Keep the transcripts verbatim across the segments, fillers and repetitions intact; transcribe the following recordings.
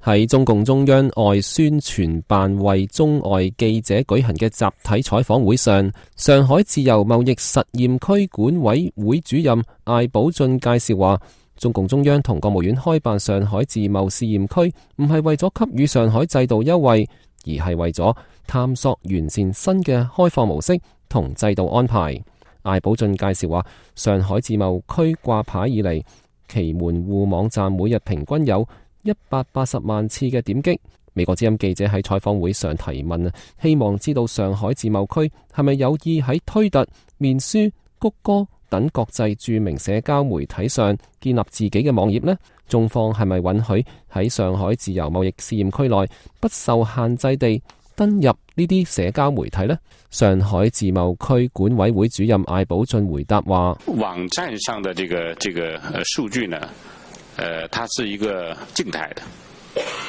喺中共中央外宣傳辦為中外記者舉行嘅集體採訪會上，上海自由貿易實驗區管委會主任艾寶俊介紹話，中共中央同國務院開辦上海自貿試驗區，唔係為咗給予上海制度優惠，而係為咗探索完善新嘅開放模式同制度安排。艾寶俊介紹話，上海自貿區掛牌以嚟，其門戶網站每日平均有一百八十萬次嘅點擊。美國之音記者喺採訪會上提問，希望知道上海自貿區係咪有意喺推特、面書、谷歌等國際著名社交媒體上建立自己嘅網頁呢？中方係咪允許喺上海自由貿易試驗區內不受限制地登入呢啲社交媒體呢？上海自貿區管委會主任艾寶俊回答話：網站上的這個這個數據呢，呃，它是一個靜態的，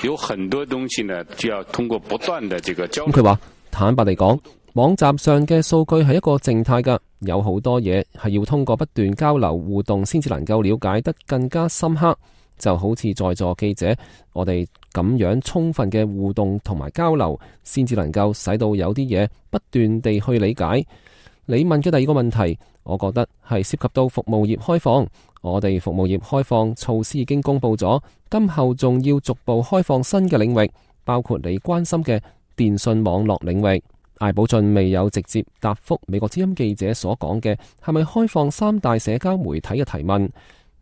有很多東西呢就要通過不斷的這個交流。佢話坦白嚟講，網站上嘅數據係一個靜態㗎，有好多嘢係要通過不斷交流互動先至能夠了解得更加深刻。就好似在座記者，我哋咁樣充分嘅互動同埋交流，先至能夠使到有啲嘢不斷地去理解。你問嘅第二個問題，我覺得係涉及到服務業開放。我哋服務業開放措施已經公布咗，今後仲要逐步開放新嘅領域，包括你關心嘅電信網絡領域。艾寶俊未有直接答覆美國之音記者所講嘅係咪開放三大社交媒體嘅提問。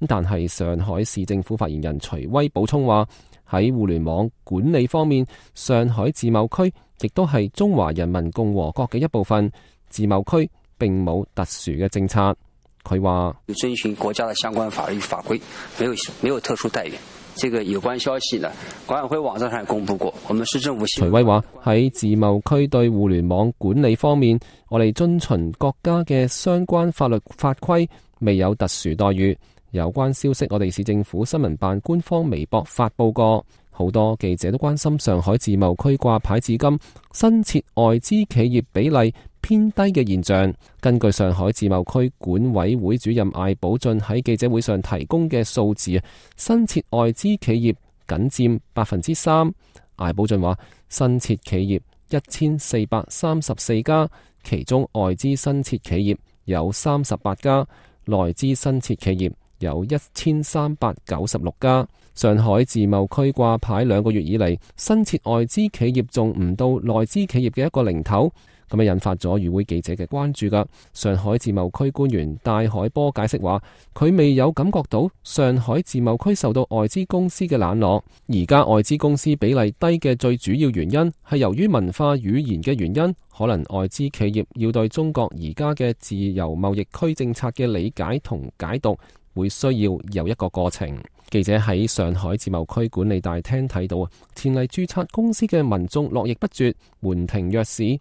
但係上海市政府發言人徐威補充話，喺互聯網管理方面，上海自貿區亦都係中華人民共和國嘅一部分，自貿區並冇特殊嘅政策。佢話遵循國家的相關法律法規，沒有沒有特殊待遇。這個有關消息呢，管委會網站上公布過。我們市政府。徐威話喺自貿區對互聯網管理方面，我哋遵循國家嘅相關法律法規，未有特殊待遇。有關消息，我哋市政府新聞辦官方微博發佈過，好多記者都關心上海自貿區掛牌至今新設外資企業比例偏低嘅現象。根據上海自貿區管委會主任艾寶俊喺記者會上提供嘅數字，新設外資企業僅佔百分之三。艾寶俊話，新設企業一千四百三十四家，其中外資新設企業有三十八家，內資新設企業有一千三百九十六家。上海自貿區掛牌兩個月以嚟，新設外資企業仲唔到內資企業嘅一個零頭，咁樣引發咗與會記者嘅關注噶。上海自貿區官員戴海波解釋話，佢未有感覺到上海自貿區受到外資公司嘅冷落。而家外資公司比例低嘅最主要原因係由於文化語言嘅原因，可能外資企業要對中國而家嘅自由貿易區政策嘅理解同解讀，會需要有一個過程。記者喺上海自貿區管理大廳睇到，前嚟註冊公司嘅民眾絡繹不絕，門庭若市。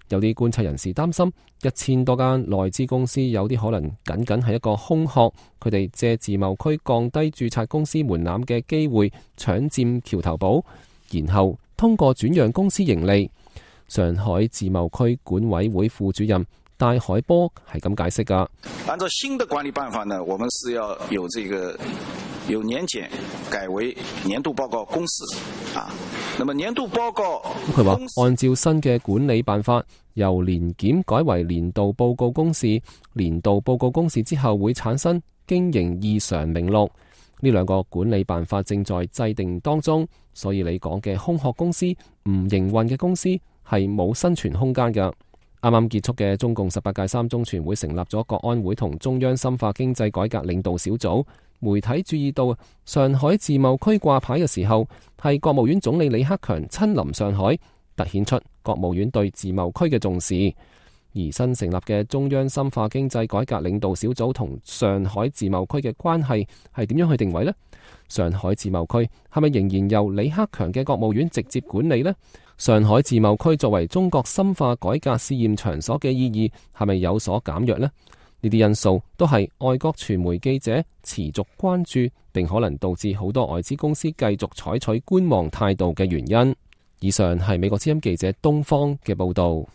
有啲觀察人士擔心，一千多間內資公司有啲可能僅僅係一個空殼，佢哋借自貿區降低註冊公司門檻嘅機會，搶佔橋頭堡，然後通過轉讓公司盈利。上海自貿區管委會副主任戴海波係咁解釋噶。按照新的管理辦法呢，我們是要有這個由年檢改為年度報告公司啊。那麼年度報告，佢話按照新嘅管理辦法，由年檢改為年度報告公示，年度報告公示之後會產生經營異常名錄。呢兩個管理辦法正在制定當中，所以你講嘅空殼公司、唔營運嘅公司係冇生存空間㗎。啱啱結束嘅中共十八屆三中全會成立咗國安會同中央深化經濟改革領導小組。媒體注意到上海自貿區掛牌嘅時候，係國務院總理李克強親臨上海，凸顯出國務院對自貿區嘅重視。而新成立嘅中央深化經濟改革領導小組同上海自貿區嘅關係係點樣去定位呢？上海自貿區係咪仍然由李克強嘅國務院直接管理呢？上海自貿區作為中國深化改革試驗場所嘅意義係咪有所減弱呢？呢啲因素都係外國傳媒記者持續關注，並可能導致好多外資公司繼續採取觀望態度嘅原因。以上係美國之音記者東方嘅報道。